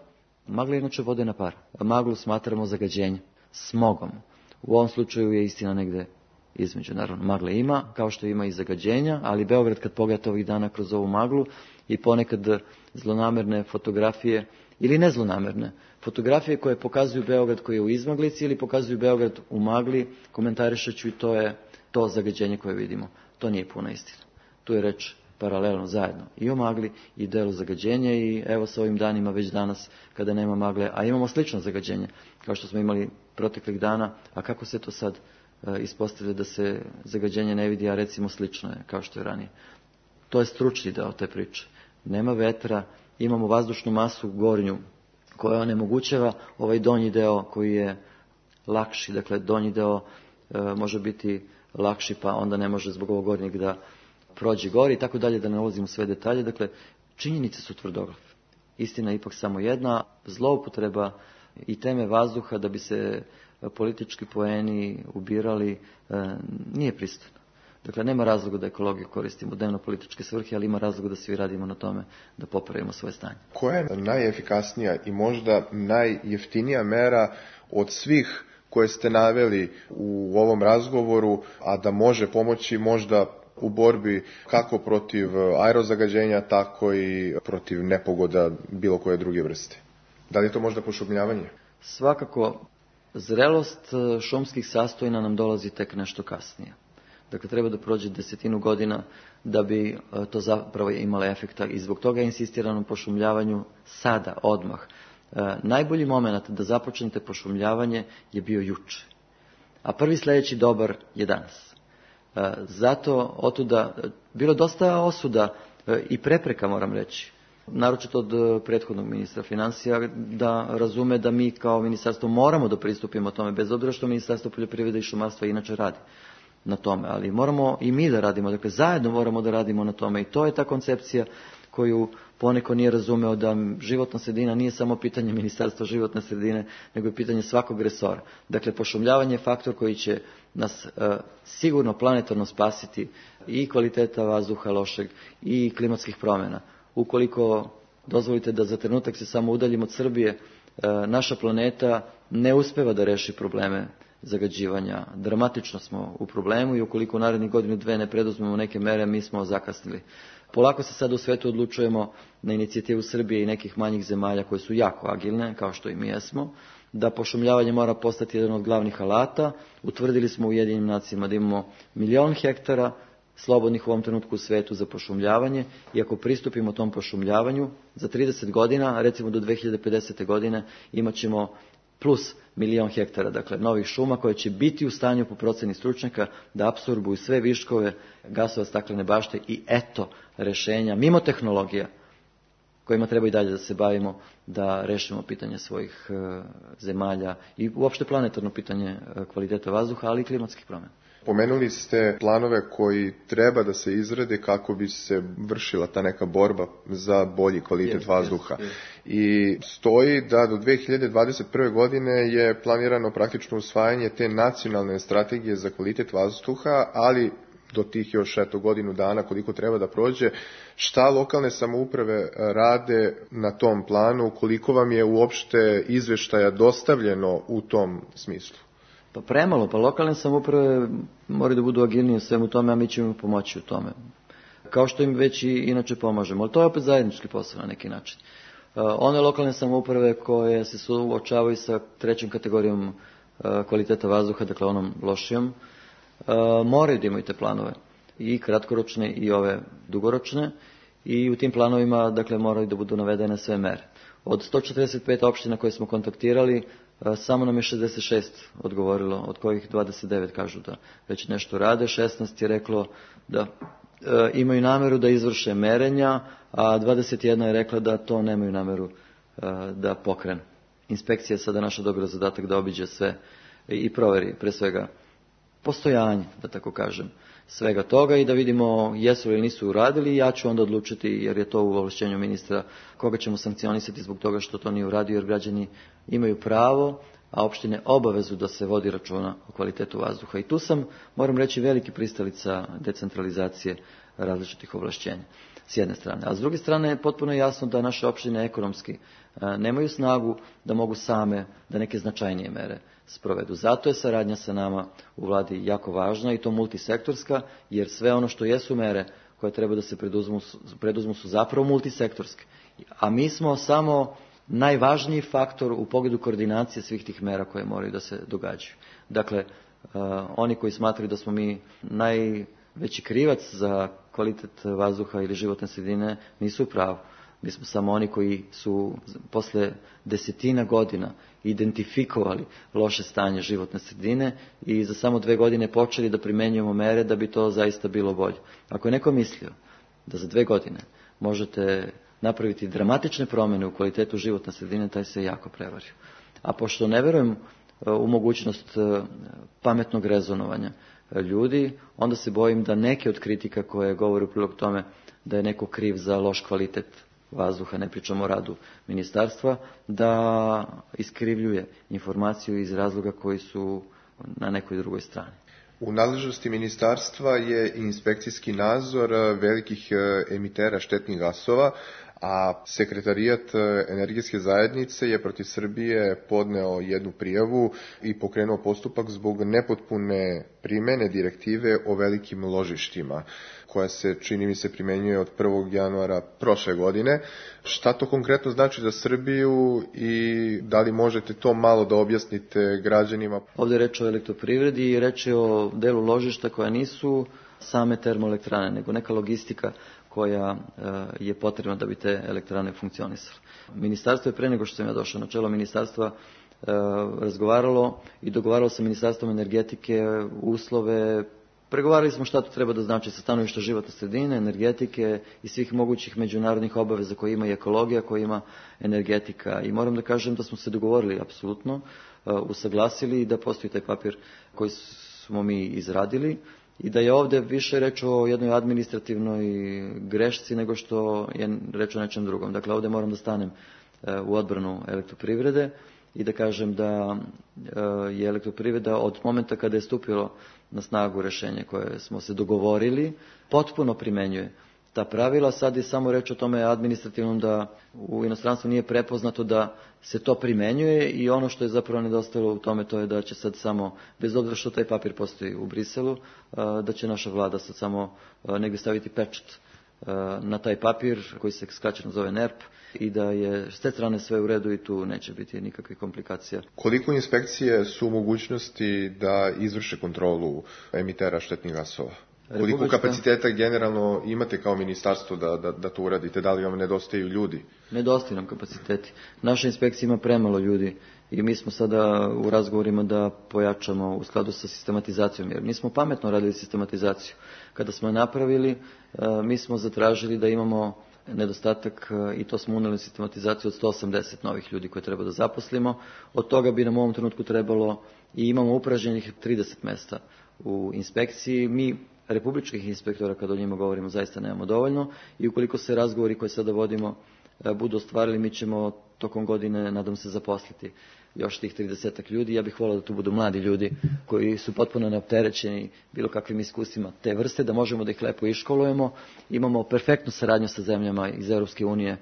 Speaker 3: Magla inače vode na par. Maglu smatramo zagađenjem, smogom. U ovom slučaju je istina negde između. Naravno, magle ima, kao što ima i zagađenja, ali Beograd kad pogledate ovih dana kroz ovu maglu i ponekad zlonamerne fotografije, ili nezlonamerne, fotografije koje pokazuju Beograd koji je u izmaglici ili pokazuju Beograd u magli, komentarišaću i to je to zagađenje koje vidimo. To nije puna istina. Tu je reč paralelno zajedno i o magli i delu zagađenja i evo sa ovim danima već danas kada nema magle, a imamo slično zagađenje kao što smo imali proteklih dana, a kako se to sad e, ispostavlja da se zagađenje ne vidi, a recimo slično je kao što je ranije. To je stručni deo te priče. Nema vetra, imamo vazdušnu masu gornju koja onemogućava ovaj donji deo koji je lakši, dakle donji deo e, može biti lakši pa onda ne može zbog ovog gornjeg da prođe gori i tako dalje, da ne ulazimo u sve detalje. Dakle, činjenice su tvrdoglave. Istina je ipak samo jedna, zloupotreba i teme vazduha da bi se politički poeni ubirali nije pristojno. Dakle, nema razloga da ekologiju koristimo u dnevno-političke svrhe, ali ima razloga da svi radimo na tome da popravimo svoje stanje.
Speaker 2: Koja je najefikasnija i možda najjeftinija mera od svih koje ste naveli u ovom razgovoru, a da može pomoći možda u borbi kako protiv aerozagađenja, tako i protiv nepogoda bilo koje druge vrste? Da li je to možda pošumljavanje?
Speaker 3: Svakako, zrelost šumskih sastojina nam dolazi tek nešto kasnije. Dakle, treba da prođe desetinu godina da bi to zapravo imalo efekta i zbog toga je insistirano pošumljavanju sada, odmah. E, najbolji moment da započnete pošumljavanje je bio juče, a prvi sljedeći dobar je danas. E, zato otuda bilo dosta osuda e, i prepreka, moram reći, naročito od prethodnog ministra financija, da razume da mi kao ministarstvo moramo da pristupimo tome, bez obzira što Ministarstvo poljoprivrede i šumarstva inače radi na tome, ali moramo i mi da radimo, dakle zajedno moramo da radimo na tome i to je ta koncepcija koju poneko nije razumeo, da životna sredina nije samo pitanje Ministarstva životne sredine, nego je pitanje svakog resora. Dakle, pošumljavanje je faktor koji će nas e, sigurno planetarno spasiti i kvaliteta vazduha lošeg i klimatskih promjena. Ukoliko dozvolite da za trenutak se samo udaljimo od Srbije, e, naša planeta ne uspeva da reši probleme zagađivanja. Dramatično smo u problemu i ukoliko u narednih godinu dve ne preduzmemo neke mere, mi smo zakasnili. Polako se sad u svetu odlučujemo na inicijativu Srbije i nekih manjih zemalja koje su jako agilne, kao što i mi jesmo, da pošumljavanje mora postati jedan od glavnih alata. Utvrdili smo u Ujedinjenim nacijama da imamo milion hektara slobodnih u ovom trenutku u svetu za pošumljavanje i ako pristupimo tom pošumljavanju, za trideset godina, recimo do dve hiljade pedesete. godine, imat ćemo plus milion hektara, dakle novih šuma koje će biti u stanju po proceni stručnjaka da apsorbuju sve viškove gasova staklene bašte i eto rešenja, mimo tehnologija kojima treba i dalje da se bavimo, da rešimo pitanje svojih e, zemalja i uopšte planetarno pitanje e, kvaliteta vazduha, ali i klimatskih promjena.
Speaker 2: Pomenuli ste planove koji treba da se izrade kako bi se vršila ta neka borba za bolji kvalitet yes, vazduha. Yes, yes. I stoji da do dve hiljade dvadeset prve. godine je planirano praktično usvajanje te nacionalne strategije za kvalitet vazduha, ali do tih još eto godinu dana koliko treba da prođe. Šta lokalne samouprave rade na tom planu, koliko vam je uopšte izveštaja dostavljeno u tom smislu?
Speaker 3: Pa premalo, pa lokalne samouprave moraju da budu agilnije u svemu tome, a mi ćemo im pomoći u tome. Kao što im već i inače pomažemo, ali to je opet zajednički posao na neki način. One lokalne samouprave koje se suočavaju sa trećom kategorijom kvaliteta vazduha, dakle onom lošijom, moraju da imaju te planove, i kratkoročne i ove dugoročne, i u tim planovima dakle moraju da budu navedene sve mere. Od sto četrdeset pet opština koje smo kontaktirali, samo nam je šezdeset šest odgovorilo, od kojih dvadeset devet kažu da već nešto rade, šesnaest je reklo da e, imaju nameru da izvrše merenja, a dvadeset jedna je rekla da to nemaju nameru e, da pokrenu. Inspekcija je sada naša dobra zadatak da obiđe sve i proveri pre svega postojanje, da tako kažem, svega toga i da vidimo jesu li nisu uradili. Ja ću onda odlučiti, jer je to u ovlašćenju ministra, koga ćemo sankcionisati zbog toga što to nije uradio, jer građani imaju pravo, a opštine obavezu da se vodi računa o kvalitetu vazduha. I tu sam, moram reći, veliki pristalica decentralizacije različitih ovlašćenja. s jedne strane. A s druge strane je potpuno jasno da naše opštine ekonomski nemaju snagu da mogu same da neke značajnije mere sprovedu. Zato je saradnja sa nama u vladi jako važna i to multisektorska, jer sve ono što jesu mere koje treba da se preduzmu, preduzmu su zapravo multisektorske. A mi smo samo najvažniji faktor u pogledu koordinacije svih tih mera koje moraju da se događaju. Dakle, uh, oni koji smatraju da smo mi najveći krivac za kvalitet vazduha ili životne sredine nisu u pravu. Mi smo samo oni koji su posle desetina godina identifikovali loše stanje životne sredine i za samo dve godine počeli da primenjujemo mere da bi to zaista bilo bolje. Ako je neko mislio da za dve godine možete napraviti dramatične promjene u kvalitetu životne sredine, taj se jako prevario. A pošto ne verujem u mogućnost pametnog rezonovanja ljudi, onda se bojim da neke od kritika koje govore u prilog tome da je neko kriv za loš kvalitet vazduha, ne pričamo o radu ministarstva, da iskrivljuje informaciju iz razloga koji su na nekoj drugoj strani.
Speaker 2: U nadležnosti ministarstva je inspekcijski nadzor velikih emitera štetnih gasova, a Sekretarijat energetske zajednice je protiv Srbije podneo jednu prijavu i pokrenuo postupak zbog nepotpune primene direktive o velikim ložištima, koja se, čini mi se, primenjuje od prvog januara prošle godine. Šta to konkretno znači za Srbiju i da li možete to malo da objasnite građanima?
Speaker 3: Ovdje je reč o elektroprivredi i reč je o delu ložišta koja nisu same termoelektrane, nego neka logistika koja je potrebna da bi te elektrane funkcionisale. Ministarstvo je pre nego što sam ja došao na čelo ministarstva razgovaralo i dogovaralo sa Ministarstvom energetike uslove, pregovarali smo šta to treba da znači sa stanovišta životne sredine, energetike i svih mogućih međunarodnih obaveza koje ima i ekologija, koje ima energetika. I moram da kažem da smo se dogovorili apsolutno, usaglasili i da postoji taj papir koji smo mi izradili i da je ovdje više reč o jednoj administrativnoj grešci nego što je reč o nečem drugom. Dakle, ovdje moram da stanem u odbranu elektroprivrede i da kažem da je elektroprivreda od momenta kada je stupilo na snagu rješenje koje smo se dogovorili, potpuno primenjuje ta pravila. Sad je samo reč o tome administrativnom da u inostranstvu nije prepoznato da se to primenjuje i ono što je zapravo nedostajalo u tome to je da će sad samo, bez obzira što taj papir postoji u Briselu, da će naša vlada sad samo negdje staviti pečat na taj papir koji se skraćeno zove N E R P i da je s te strane sve u redu i tu neće biti nikakvih komplikacija.
Speaker 2: Koliko inspekcije su u mogućnosti da izvrše kontrolu emitera štetnih gasova? Koliko Republička... kapaciteta generalno imate kao ministarstvo da, da, da to uradite? Da li vam nedostaju ljudi?
Speaker 3: Nedostaju nam kapaciteti. Naša inspekcija ima premalo ljudi i mi smo sada u razgovorima da pojačamo u skladu sa sistematizacijom, jer nismo pametno radili sistematizaciju. Kada smo je napravili, mi smo zatražili da imamo nedostatak i to smo uneli sistematizaciju od sto osamdeset novih ljudi koje treba da zaposlimo. Od toga bi nam u ovom trenutku trebalo i imamo upražnjenih trideset mesta u inspekciji. Mi republičkih inspektora, kada o njima govorimo, zaista nemamo dovoljno i ukoliko se razgovori koje sada vodimo budu ostvarili, mi ćemo tokom godine, nadam se, zaposliti još tih tridesetak ljudi. Ja bih volio da tu budu mladi ljudi koji su potpuno neopterećeni bilo kakvim iskustvima te vrste, da možemo da ih lepo iškolujemo. Imamo perfektnu saradnju sa zemljama iz Europske unije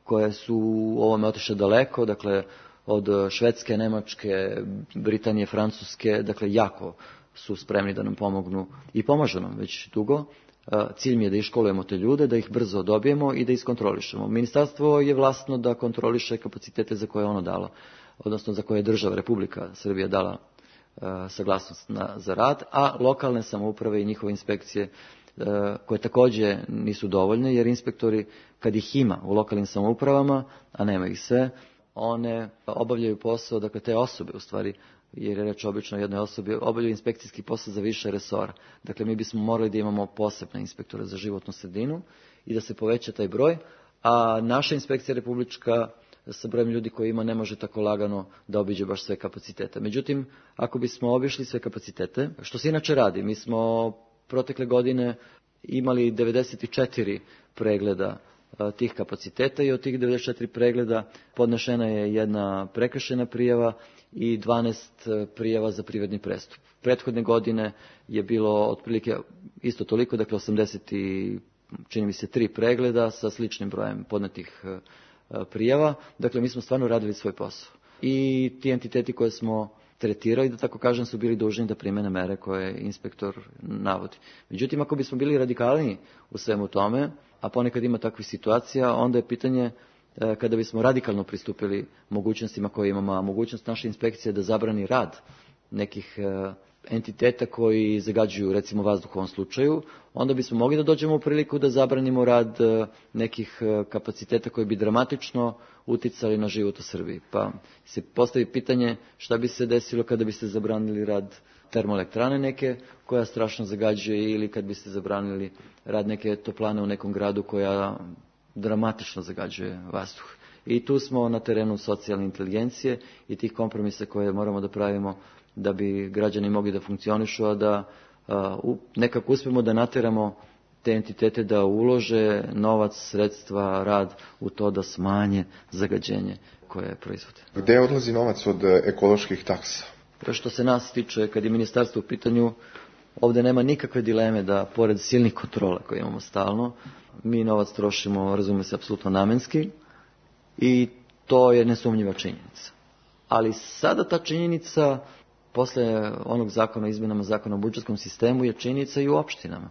Speaker 3: koje su u ovome otišle daleko, dakle od Švedske, Nemačke, Britanije, Francuske, dakle jako su spremni da nam pomognu i pomažu nam već dugo. Cilj mi je da iškolujemo te ljude, da ih brzo dobijemo i da iskontrolišemo. Ministarstvo je vlastno da kontroliše kapacitete za koje je ono dalo, odnosno za koje je država, Republika Srbija dala uh, saglasnost na, za rad, a lokalne samouprave i njihove inspekcije uh, koje također nisu dovoljne, jer inspektori, kad ih ima u lokalnim samoupravama, a nema ih sve, one obavljaju posao, dakle te osobe u stvari, jer je reč obično o jednoj osobi, obavljaju inspekcijski posao za više resora. Dakle, mi bismo morali da imamo posebne inspektore za životnu sredinu i da se poveća taj broj, a naša inspekcija republička sa brojem ljudi koji ima ne može tako lagano da obiđe baš sve kapacitete. Međutim, ako bismo obišli sve kapacitete, što se inače radi, mi smo protekle godine imali devedeset četiri pregleda tih kapaciteta i od tih devedeset četiri pregleda podnešena je jedna prekršajna prijava i dvanaest prijava za privredni prestup. Prethodne godine je bilo otprilike isto toliko, dakle osamdeset čini mi se, tri pregleda sa sličnim brojem podnetih prijava. Dakle, mi smo stvarno radili svoj posao. I ti entiteti koje smo tretirali, da tako kažem, su bili dužni da primene mere koje inspektor navodi. Međutim, ako bismo bili radikalniji u svemu tome, a ponekad ima takvih situacija, onda je pitanje kada bismo radikalno pristupili mogućnostima koje imamo, a mogućnost naše inspekcije da zabrani rad nekih entiteta koji zagađuju, recimo, vazduh u ovom slučaju, onda bismo mogli da dođemo u priliku da zabranimo rad nekih kapaciteta koji bi dramatično uticali na život u Srbiji. Pa se postavi pitanje šta bi se desilo kada biste zabranili rad termoelektrane neke koja strašno zagađuje, ili kad biste zabranili rad neke toplane u nekom gradu koja dramatično zagađuje vazduh. I tu smo na terenu socijalne inteligencije i tih kompromisa koje moramo da pravimo da bi građani mogli da funkcionišu, a da uh, nekako uspemo da nateramo te entitete da ulože novac, sredstva, rad u to da smanje zagađenje koje proizvode.
Speaker 4: Gde odlazi novac od ekoloških taksa?
Speaker 3: Što se nas tiče, kad je ministarstvo u pitanju, ovdje nema nikakve dileme da, pored silnih kontrola koje imamo stalno, mi novac trošimo, razume se, apsolutno namenski i to je nesumnjiva činjenica. Ali sada ta činjenica, posle onog zakona o izmjenama zakona o budžetskom sistemu, je činjenica i u opštinama.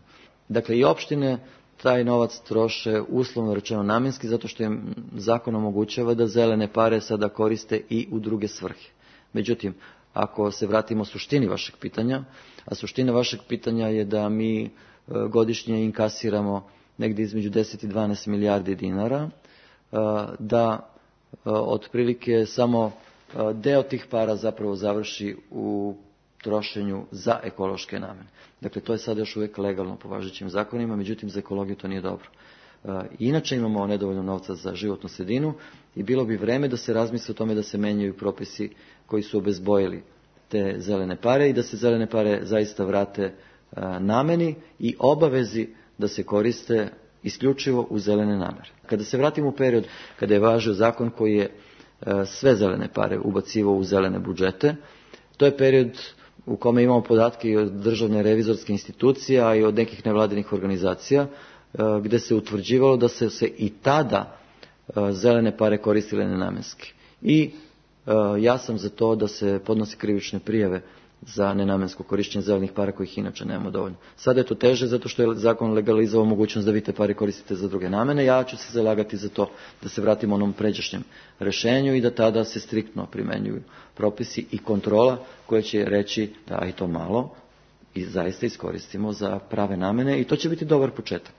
Speaker 3: Dakle, i opštine taj novac troše uslovno rečeno namenski, zato što im zakon omogućava da zelene pare sada koriste i u druge svrhe. Međutim, ako se vratimo suštini vašeg pitanja, a suština vašeg pitanja je da mi godišnje inkasiramo negdje između deset i dvanaest milijardi dinara, da otprilike samo deo tih para zapravo završi u trošenju za ekološke namene. Dakle, to je sada još uvijek legalno po važećim zakonima, međutim za ekologiju to nije dobro. Inače imamo nedovoljno novca za životnu sredinu i bilo bi vreme da se razmisli o tome da se menjaju propisi koji su obezbojili te zelene pare i da se zelene pare zaista vrate nameni i obavezi da se koriste isključivo u zelene namere. Kada se vratimo u period kada je važio zakon koji je sve zelene pare ubacivao u zelene budžete, to je period u kome imamo podatke i od državne revizorske institucije, a i od nekih nevladinih organizacija, gde se utvrđivalo da se, se i tada zelene pare koristile nenamenski. I ja sam za to da se podnose krivične prijave za nenamensko korištenje zelenih para kojih inače nemamo dovoljno. Sada je to teže zato što je zakon legalizovao mogućnost da vi te pare koristite za druge namene. Ja ću se zalagati za to da se vratimo onom pređašnjem rešenju i da tada se striktno primenjuju propisi i kontrola koja će reći da i to malo i zaista iskoristimo za prave namene i to će biti dobar početak.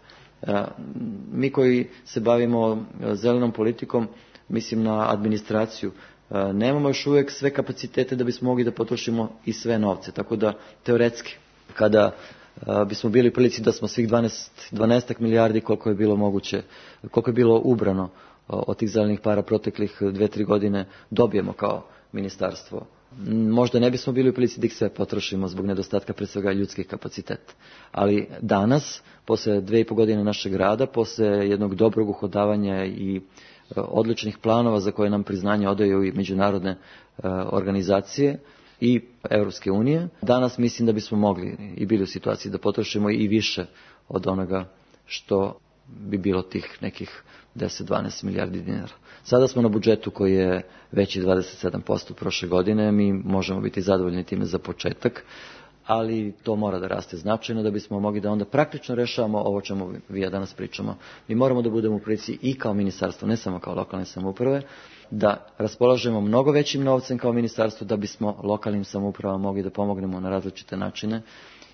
Speaker 3: Mi koji se bavimo zelenom politikom, mislim na administraciju, nemamo još uvijek sve kapacitete da bismo mogli da potrošimo i sve novce. Tako da, teoretski, kada bismo bili u prilici da smo svih dvanaest milijardi koliko je bilo moguće, koliko je bilo ubrano od tih zelenih para proteklih dve, tri godine dobijemo kao ministarstvo, možda ne bismo bili u prilici da ih sve potrošimo zbog nedostatka pre svega ljudskih kapaciteta. Ali danas, posle dve i po godine našeg rada, posle jednog dobrog uhodavanja i odličnih planova za koje nam priznanje odaju i međunarodne e, organizacije i Evropske unije, danas mislim da bismo mogli i bili u situaciji da potrošimo i više od onoga što bi bilo tih nekih deset do dvanaest milijardi dinara. Sada smo na budžetu koji je veći dvadeset sedam posto prošle godine, mi možemo biti zadovoljni time za početak, ali to mora da raste značajno da bismo mogli da onda praktično rešavamo ovo čemu vi ja danas pričamo. Mi moramo da budemo u prilici i kao ministarstvo, ne samo kao lokalne samouprave, da raspolažemo mnogo većim novcem kao ministarstvo da bismo lokalnim samoupravama mogli da pomognemo na različite načine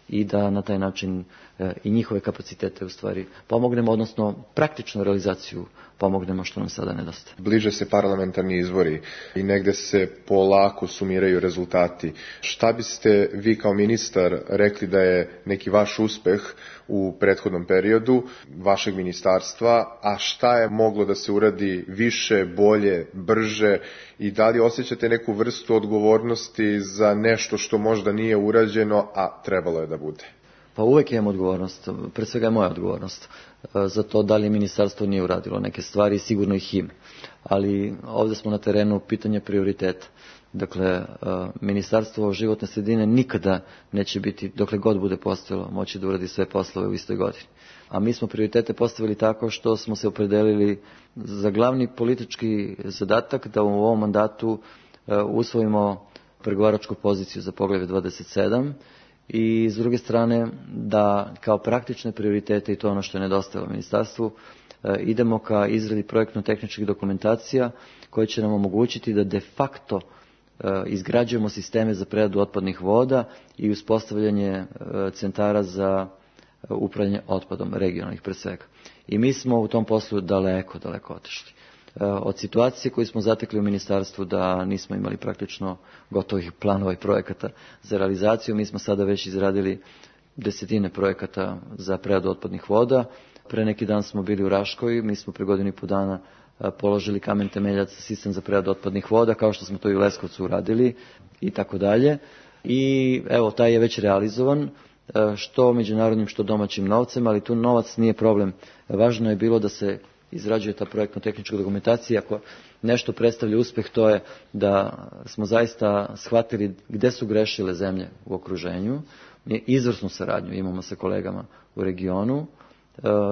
Speaker 3: i da na taj način e, i njihove kapacitete u stvari pomognemo, odnosno praktičnu realizaciju pomognemo što nam sada nedostaje.
Speaker 4: Bliže se parlamentarni izbori i negde se polako sumiraju rezultati. Šta biste vi kao ministar rekli da je neki vaš uspeh u prethodnom periodu vašeg ministarstva, a šta je moglo da se uradi više, bolje, brže i da li osjećate neku vrstu odgovornosti za nešto što možda nije urađeno, a trebalo je da bude?
Speaker 3: Pa uvek imam odgovornost, pre svega je moja odgovornost za to da li ministarstvo nije uradilo neke stvari, sigurno ih ima. ali ovdje smo na terenu pitanje prioriteta. Dakle, Ministarstvo životne sredine nikada neće biti, dokle god bude postojalo, moći da uradi sve poslove u istoj godini. A mi smo prioritete postavili tako što smo se opredelili za glavni politički zadatak da u ovom mandatu usvojimo pregovaračku poziciju za poglavlje dvadeset sedam i s druge strane da kao praktične prioritete, i to ono što je nedostajalo ministarstvu, idemo ka izradi projektno-tehničkih dokumentacija koje će nam omogućiti da de facto izgrađujemo sisteme za preradu otpadnih voda i uspostavljanje centara za upravljanje otpadom, regionalnih pre svega. I mi smo u tom poslu daleko, daleko otišli. Od situacije koju smo zatekli u ministarstvu da nismo imali praktično gotovih planova i projekata za realizaciju, mi smo sada već izradili desetine projekata za preradu otpadnih voda. Pre neki dan smo bili u Raškoj, mi smo pre godinu i po dana položili kamen temeljac za sistem za preradu otpadnih voda, kao što smo to i u Leskovcu uradili i tako dalje. I evo, taj je već realizovan, što međunarodnim, što domaćim novcem, ali tu novac nije problem. Važno je bilo da se izrađuje ta projektno-tehnička dokumentacija. Ako nešto predstavlja uspeh, to je da smo zaista shvatili gde su grešile zemlje u okruženju. Mi izvrsnu saradnju imamo sa kolegama u regionu,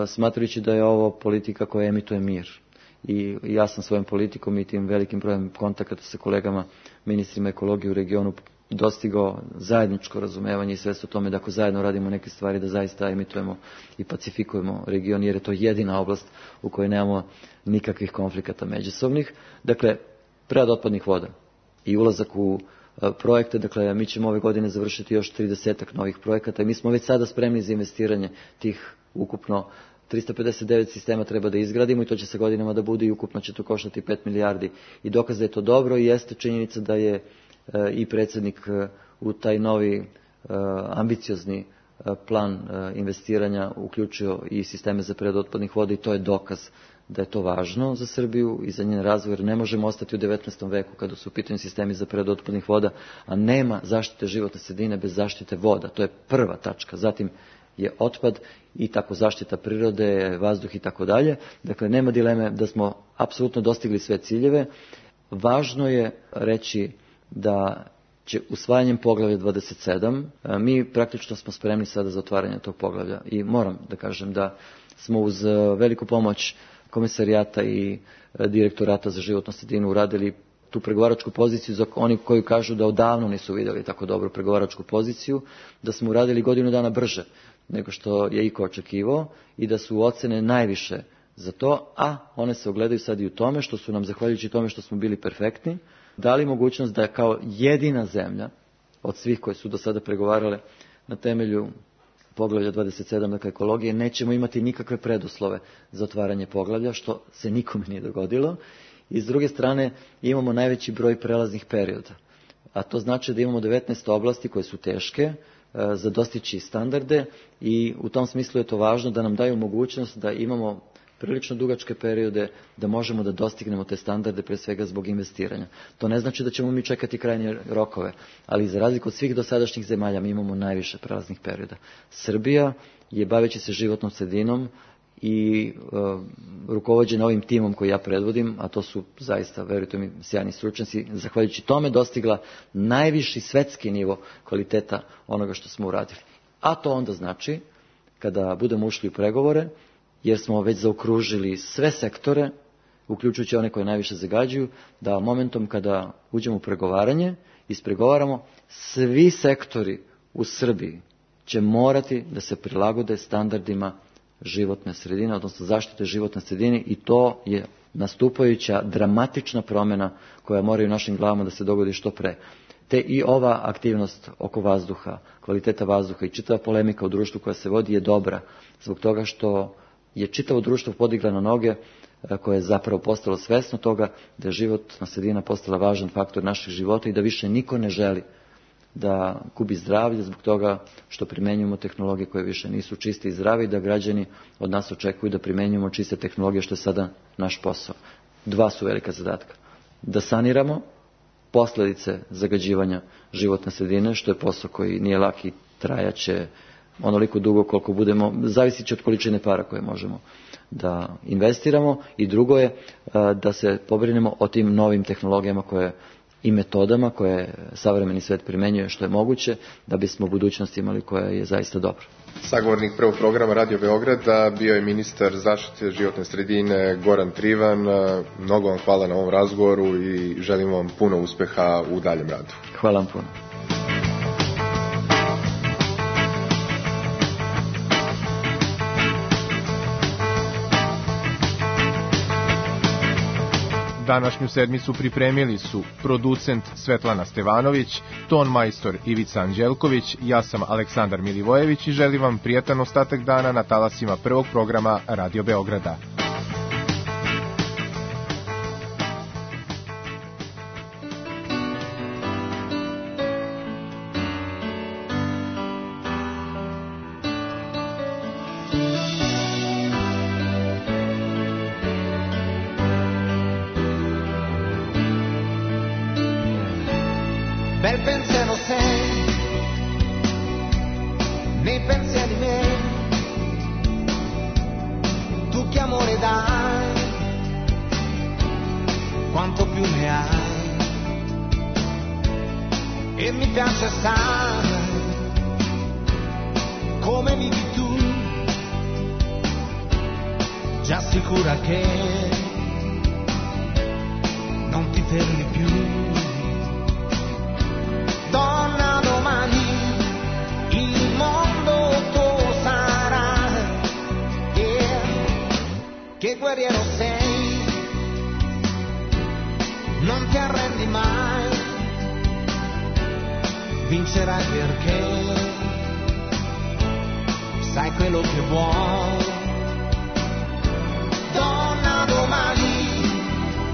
Speaker 3: smatrajući da je ovo politika koja emituje mir. I ja sam svojom politikom i tim velikim brojem kontakata sa kolegama, ministrima ekologije u regionu, dostigao zajedničko razumevanje i svest o tome da ako zajedno radimo neke stvari da zaista emitujemo i pacifikujemo region, jer je to jedina oblast u kojoj nemamo nikakvih konflikata međusobnih. Dakle, prerada otpadnih voda i ulazak u projekte, dakle mi ćemo ove godine završiti još tridesetak novih projekata i mi smo već sada spremni za investiranje tih ukupno trista pedeset devet sistema treba da izgradimo i to će sa godinama da bude i ukupno će to koštati pet milijardi. I dokaz da je to dobro i jeste činjenica da je i predsjednik u taj novi ambiciozni plan investiranja uključio i sisteme za preradu otpadnih voda i to je dokaz da je to važno za Srbiju i za njen razvoj, jer ne možemo ostati u devetnaestom veku kada su u pitanju sistemi za preradu otpadnih voda, a nema zaštite životne sredine bez zaštite voda. To je prva tačka. Zatim je otpad i tako zaštita prirode, vazduh i tako dalje. Dakle, nema dileme da smo apsolutno dostigli sve ciljeve. Važno je reći da će usvajanjem poglavlja dvadeset sedam, mi praktično smo spremni sada za otvaranje tog poglavlja i moram da kažem da smo uz veliku pomoć Komesarijata i Direktorata za životnu sredinu uradili tu pregovaračku poziciju za oni koji kažu da odavno nisu vidjeli tako dobru pregovaračku poziciju, da smo uradili godinu dana brže nego što je iko očekivao i da su ocene najviše za to, a one se ogledaju sad i u tome što su nam, zahvaljujući tome što smo bili perfektni, dali mogućnost da kao jedina zemlja od svih koje su do sada pregovarale na temelju poglavlja dvadeset sedam, dakle ekologije, nećemo imati nikakve preduslove za otvaranje poglavlja, što se nikome nije dogodilo. I s druge strane imamo najveći broj prelaznih perioda. A to znači da imamo devetnaest oblasti koje su teške za dostići standarde i u tom smislu je to važno da nam daju mogućnost da imamo prilično dugačke periode da možemo da dostignemo te standarde pre svega zbog investiranja. To ne znači da ćemo mi čekati krajnje rokove, ali za razliku od svih dosadašnjih zemalja mi imamo najviše prelaznih perioda. Srbija je baveći se životnom sredinom i uh, rukovođena ovim timom koji ja predvodim, a to su zaista, verujte mi, sjajni stručnjaci, zahvaljujući tome dostigla najviši svetski nivo kvaliteta onoga što smo uradili. A to onda znači, kada budemo ušli u pregovore, jer smo već zaokružili sve sektore, uključujući one koje najviše zagađuju, da momentom kada uđemo u pregovaranje, ispregovaramo, svi sektori u Srbiji će morati da se prilagode standardima životne sredine, odnosno zaštite životne sredine i to je nastupajuća dramatična promjena koja mora u našim glavama da se dogodi što pre. Te i ova aktivnost oko vazduha, kvaliteta vazduha i čitava polemika u društvu koja se vodi je dobra, zbog toga što je čitavo društvo podigla na noge koje je zapravo postalo svesno toga da je životna sredina postala važan faktor naših života i da više niko ne želi da gubi zdravlje zbog toga što primenjujemo tehnologije koje više nisu čiste i zdrave i da građani od nas očekuju da primenjujemo čiste tehnologije, što je sada naš posao. Dva su velika zadatka. Da saniramo posljedice zagađivanja životne sredine, što je posao koji nije lak i trajaće onoliko dugo koliko budemo, zavisi od količine para koje možemo da investiramo, i drugo je da se pobrinemo o tim novim tehnologijama koje i metodama koje savremeni svet primenjuje što je moguće, da bismo u budućnosti imali koja je zaista dobra.
Speaker 4: Sagovornik prvog programa Radio Beograda bio je ministar zaštite životne sredine Goran Trivan. Mnogo vam hvala na ovom razgovoru i želim vam puno uspeha u daljem radu.
Speaker 3: Hvala vam puno.
Speaker 2: Današnju sedmicu pripremili su producent Svetlana Stevanović, ton majstor Ivica Anđelković, ja sam Aleksandar Milivojević i želim vam prijatan ostatak dana na talasima prvog programa Radio Beograda.
Speaker 5: Bel pensiero sei, nei pensieri miei, tu che amore dai, quanto più ne hai, e mi piace assai, come vivi tu, già sicura che non ti fermi più. Donna, domani il mondo tuo sarà, yeah. Che guerriero sei, non ti arrendi mai, vincerai perché sai quello che vuoi. Donna, domani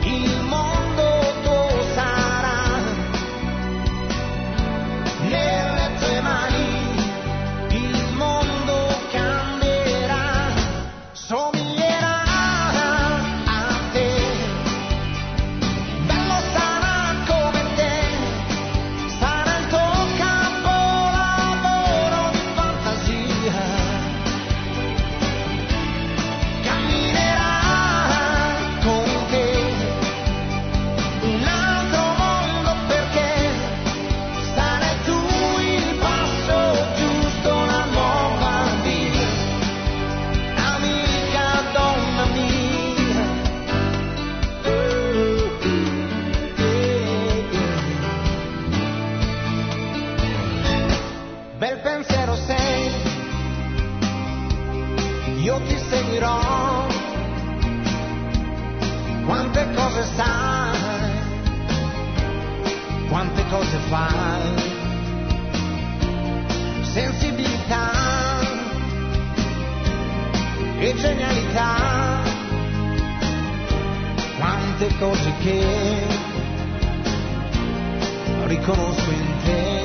Speaker 5: il mondo tuo sarà, nelle tue mani il mondo cambierà, somiglierà a te, bello sarà come te, sarà il tuo capolavoro di fantasia, camminerà con te un altro mondo perché sarai tu il passo giusto, una nuova vita, amica, donna mia. Uh, uh, yeah, yeah. Bel pensiero sei, io ti seguirò, quante cose sai, quante cose fai, sensibilità e genialità, quante cose che riconosco in te.